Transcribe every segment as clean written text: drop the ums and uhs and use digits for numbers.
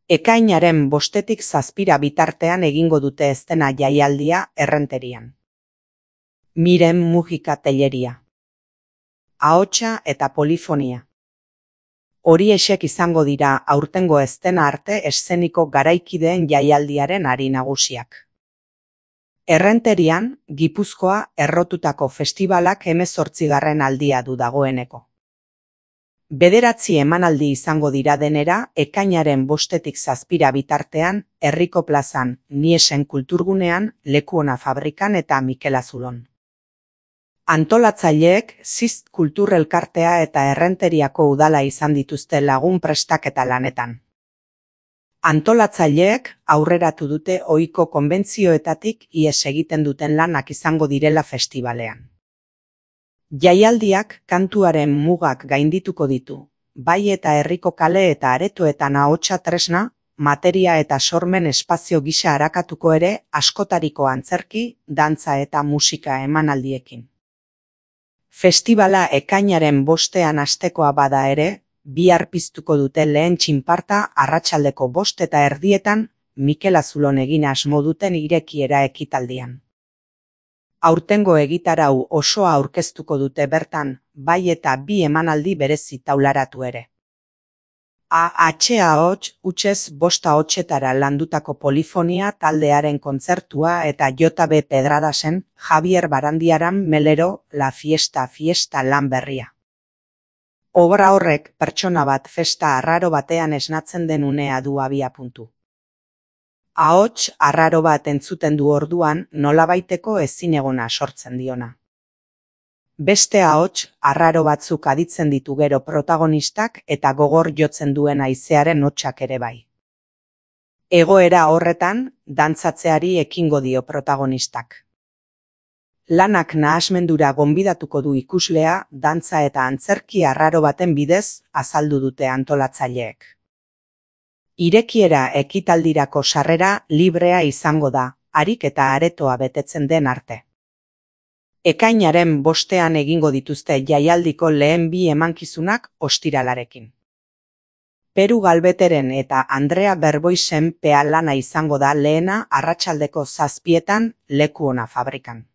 Ekainaren 5-tik 7 bitartean egingo dute eszena jaialdia Errenterian. Miren Mujika Telleria. Ahotsa eta polifonia. Horiexek izango dira aurtengo eszena arte eszeniko garaikideen jaialdiaren hari nagusiak. Errenterian, Gipuzkoa errotutako festibalak 18. aldia du dagoeneko. 9 emanaldi izango dira denera, ekainaren 5-tik 7 bitartean, Herriko plazan, Niesen kulturgunean, Lekuona fabrikan eta Mikel Azulon. Antolatzaileek Zist Kultur Elkartea eta Errenteriako udala izan dituzte lagun prestaketa lanetan. Antolatzaileek aurreratu dute ohiko konbentzioetatik ihes egiten duten lanak izango direla festivalean. Jaialdiak kantuaren mugak gaindituko ditu, bai eta herriko kale eta aretoetan ahotsa tresna, materia eta sormen espazio gisa arakatuko ere askotariko antzerki, dantza eta musika emanaldiekin. Festivala ekainaren 5ean hastekoa bada ere, bihar piztuko dute lehen txinparta arratsaldeko 5:30 Mikel Azulon egin asmo duten irekiera ekitaldian. Aurtengo egitarau osoa aurkeztuko dute bertan, bai eta 2 emanaldi berezi taularatu ere. AH hutsez 5 ahotsetara landutako polifonia taldearen kontzertua eta JB Pedradasen Javier Barandiaran Melero La Fiesta lan berria. Obra horrek pertsona bat festa arraro batean esnatzen den unea du abiapuntu. Ahots arraro bat entzuten du orduan nolabaiteko ezinegona sortzen diona. Beste ahots arraro batzuk aditzen ditu gero protagonistak eta gogor jotzen duen haizearen hotsak ere bai. Egoera horretan, dantzatzeari ekingo dio protagonistak. Lanak nahasmendura gonbidatuko du ikuslea dantza eta antzerki arraro baten bidez azaldu dute antolatzaileek. Irekiera ekitaldirako sarrera librea izango da, harik eta aretoa betetzen den arte. Ekainaren 5ean egingo dituzte jaialdiko lehen 2 emankizunak ostiralarekin. Peru Galbeteren eta Andrea Berboisen pea lana izango da lehena arratsaldeko 7:00 Lekuona fabrikan.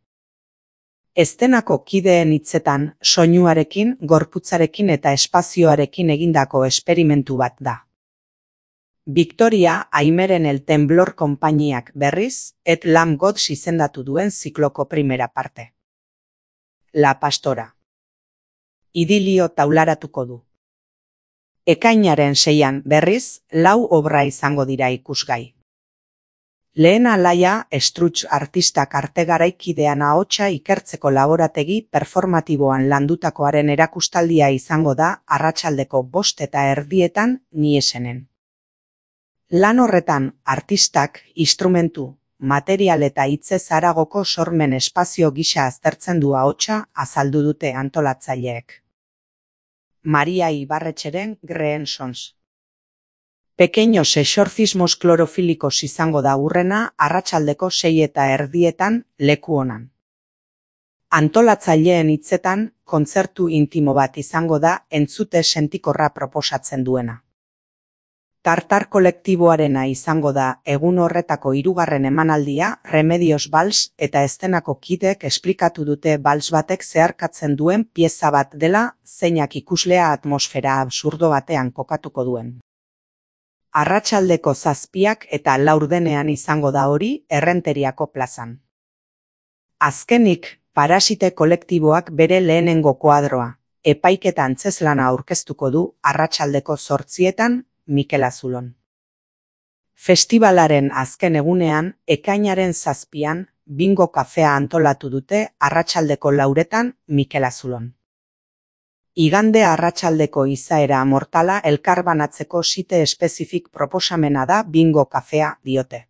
Eszenako kideen hitzetan, soinuarekin, gorputzarekin eta espazioarekin egindako esperimentu bat da. Victoria Aimeren El Temblor konpainiak berriz, Et Lam Gods izendatu duen zikloko primera parte. La Pastora. Idilio taularatuko du. Ekainaren 6ean berriz, 4 obra izango dira ikusgai. Lehen alaia, Struts artistak arte garaikidean ahotsa ikertzeko laborategi performatiboan landutakoaren erakustaldia izango da arratsaldeko 5:30 Niesenen. Lan horretan, artistak, instrumentu, material eta hitzez haragoko sormen espazio gisa aztertzen du ahotsa azaldu dute antolatzaileek. Maria Ibarretxeren Green Sons. Pequeños exorcismos clorofílicos izango da hurrena arratsaldeko 6:30 Lekuonan. Antolatzaileen hitzetan, kontzertu intimo bat izango da entzute sentikorra proposatzen duena. Tartar kolektiboarena izango da egun horretako 3. emanaldia Remedios Bals eta eszenako kideek esplikatu dute bals batek zeharkatzen duen pieza bat dela zeinak ikuslea atmosfera absurdo batean kokatuko duen. Arratsaldeko 7:00 eta 4:00 izango da hori Errenteriako plazan. Azkenik, Parasite kolektiboak bere lehenengo koadroa, epaiketa antzeslana aurkeztuko du arratsaldeko 8:00 Mikel Azulon. Festivalaren azken egunean, ekainaren 7:00 bingo kafea antolatu dute arratsaldeko 4:00 Mikel Azulon. Igande arratsaldeko izaera mortala elkarbanatzeko site espezifik proposamena da bingo kafea diote.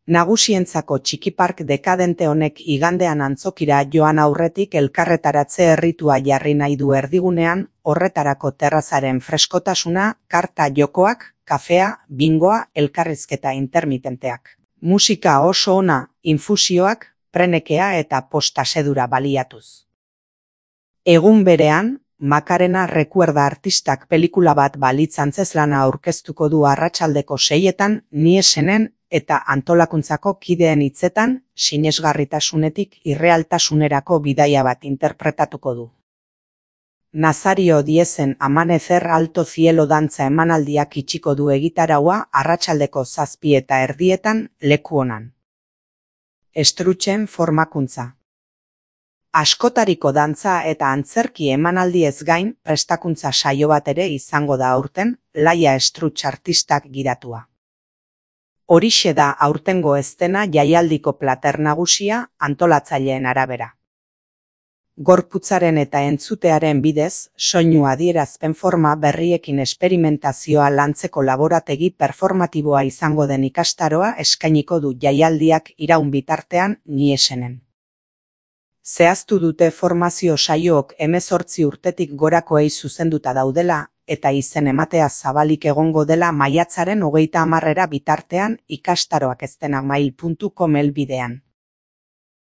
Nagusientzako txikipark dekadente honek igandean antzokira joan aurretik elkarretaratze erritua jarri nahi du erdigunean, horretarako terrazaren freskotasuna, karta jokoak, kafea, bingoa, elkarrizketa intermitenteak. Musika oso ona, infusioak, prenekea eta postasedura baliatuz. Egun berean, Makarena Recuerda artistak pelikula bat balitz antzezlana aurkeztuko du arratsaldeko 6etan Niesenen eta antolakuntzako kideen hitzetan sinesgarritasunetik irrealtasunerako bidaia bat interpretatuko du. Nazario Diezen Amanecer Alto Cielo dantza emanaldiak itxiko du egitaraua arratsaldeko 7:30 leku onan. Estrutxen formakuntza. Askotariko dantza eta antzerki emanaldiez gain prestakuntza saio bat ere izango da aurten, Laia Estrutx artistak gidatua. Horixe da aurtengo eszena jaialdiko plater nagusia antolatzaileen arabera. Gorputzaren eta entzutearen bidez, soinu adierazpen forma berriekin esperimentazioa lantzeko laborategi performatiboa izango den ikastaroa eskainiko du jaialdiak iraun bitartean Niesenen. Zehaztu dute formazio saiook 18 urtetik gorakoei zuzenduta daudela eta izen ematea zabalik egongo dela maiatzaren 30 bitartean ikastaroak eztenamail.com helbidean.